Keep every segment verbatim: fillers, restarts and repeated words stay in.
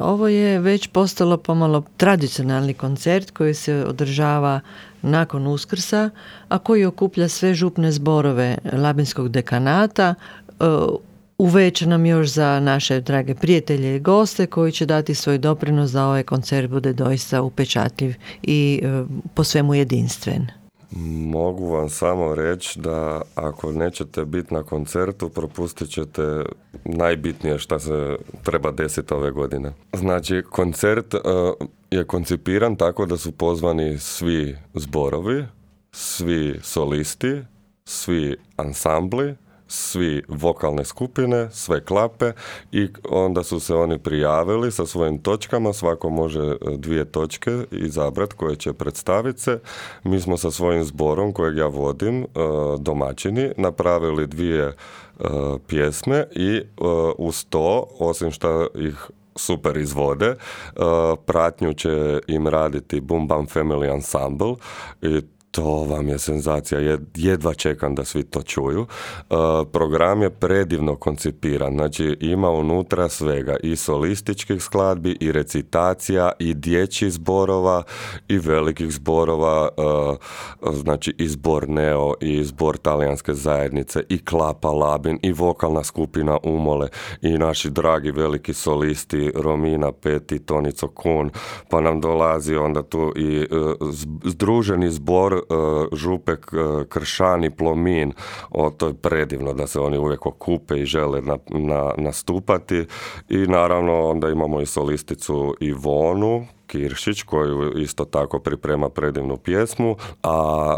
Ovo je već postalo pomalo tradicionalni koncert koji se održava nakon Uskrsa, a koji okuplja sve župne zborove Labinskog dekanata. Uveče nam još za naše drage prijatelje i goste koji će dati svoj doprinos da ovaj koncert bude doista upečatljiv i po svemu jedinstven. Mogu vam samo reći da ako nećete biti na koncertu, propustit ćete najbitnije što se treba desiti ove godine. Znači, koncert uh, je koncipiran tako da su pozvani svi zborovi, svi solisti, svi ansambli, svi vokalne skupine, sve klape i onda su se oni prijavili sa svojim točkama, svako može dvije točke izabrati koje će predstaviti se. Mi smo sa svojim zborom kojeg ja vodim, domaćini, napravili dvije pjesme i uz to, osim što ih super izvode, pratnju će im raditi Boom Bam Family Ensemble i to vam je senzacija, jedva čekam da svi to čuju. Uh, program je predivno koncipiran, znači ima unutra svega, i solističkih skladbi, i recitacija, i dječjih zborova, i velikih zborova, uh, znači i zbor Neo, i zbor Talijanske zajednice, i Klapa Labin, i vokalna skupina Umole, i naši dragi veliki solisti Romina Peti, Tonico Kun, pa nam dolazi onda tu i uh, združeni zbor Župe Kršan i Plomin. O, to je predivno da se oni uvijek okupe i žele na, na, nastupati i naravno onda imamo i solisticu Ivonu Kiršić koju isto tako priprema predivnu pjesmu, a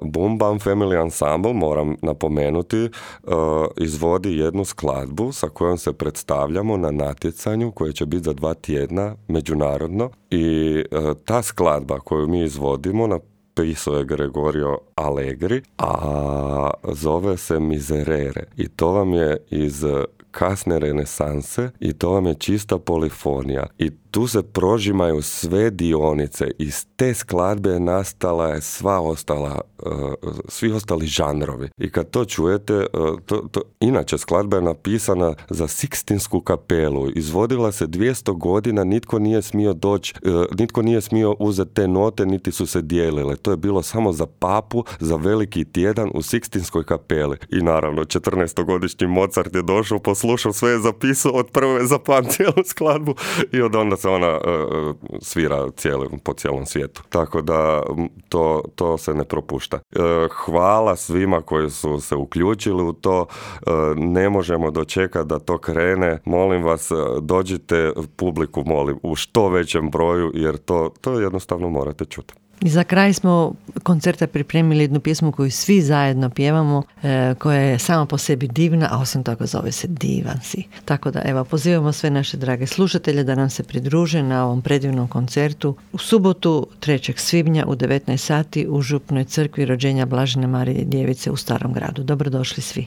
uh, Boom Bam Family Ensemble, moram napomenuti, uh, izvodi jednu skladbu sa kojom se predstavljamo na natjecanju koje će biti za dva tjedna međunarodno i uh, ta skladba koju mi izvodimo na pisao je Gregorio Allegri, a zove se Miserere i to vam je iz kasne renesanse i to vam je čista polifonija i tu se prožimaju sve dionice. Iz te skladbe nastala je sva ostala, uh, svi ostali žanrovi. I kad to čujete, uh, to, to, inače skladba je napisana za Sikstinsku kapelu. Izvodila se dvjesto godina, nitko nije smio doći, uh, nitko nije smio uzeti te note, niti su se dijelile. To je bilo samo za papu, za veliki tjedan u Sikstinskoj kapeli. I naravno, četrnaestogodišnji Mozart je došao, poslušao, sve je zapisao, od prve zapamtio skladbu i od onda se ona uh, svira cijeli, po cijelom svijetu. Tako da to, to se ne propušta. Uh, hvala svima koji su se uključili u to. Uh, ne možemo dočekati da to krene. Molim vas, dođite publiku, molim, u što većem broju, jer to, to jednostavno morate čuti. I za kraj smo koncerta pripremili jednu pjesmu koju svi zajedno pjevamo, e, koja je sama po sebi divna, a osim toga zove se Divan si. Tako da, evo, pozivamo sve naše drage slušatelje da nam se pridruže na ovom predivnom koncertu u subotu trećeg svibnja u devetnaest sati u Župnoj crkvi Rođenja Blažene Marije Djevice u Starom gradu. Dobrodošli svi.